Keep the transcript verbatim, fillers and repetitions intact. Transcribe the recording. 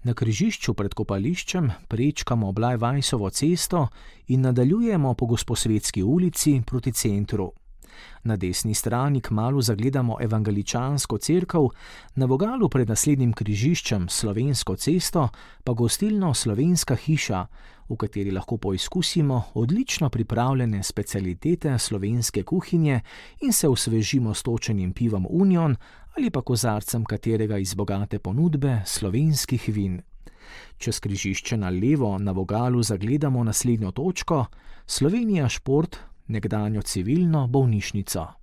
Na križišču pred kopališčem prečkamo Blajvajsovo cesto in nadaljujemo po Gosposvetski ulici proti centru. Na desni strani kmalu zagledamo evangeličansko cerkev, na vogalu pred naslednjim križiščem Slovensko cesto pa gostilno Slovenska hiša, v kateri lahko poizkusimo odlično pripravljene specialitete slovenske kuhinje in se osvežimo s točenim pivom Union ali pa kozarcem katerega iz bogate ponudbe slovenskih vin. Čez križišče na levo na vogalu zagledamo naslednjo točko: Slovenija Šport, nekdanjo civilno bolnišnico.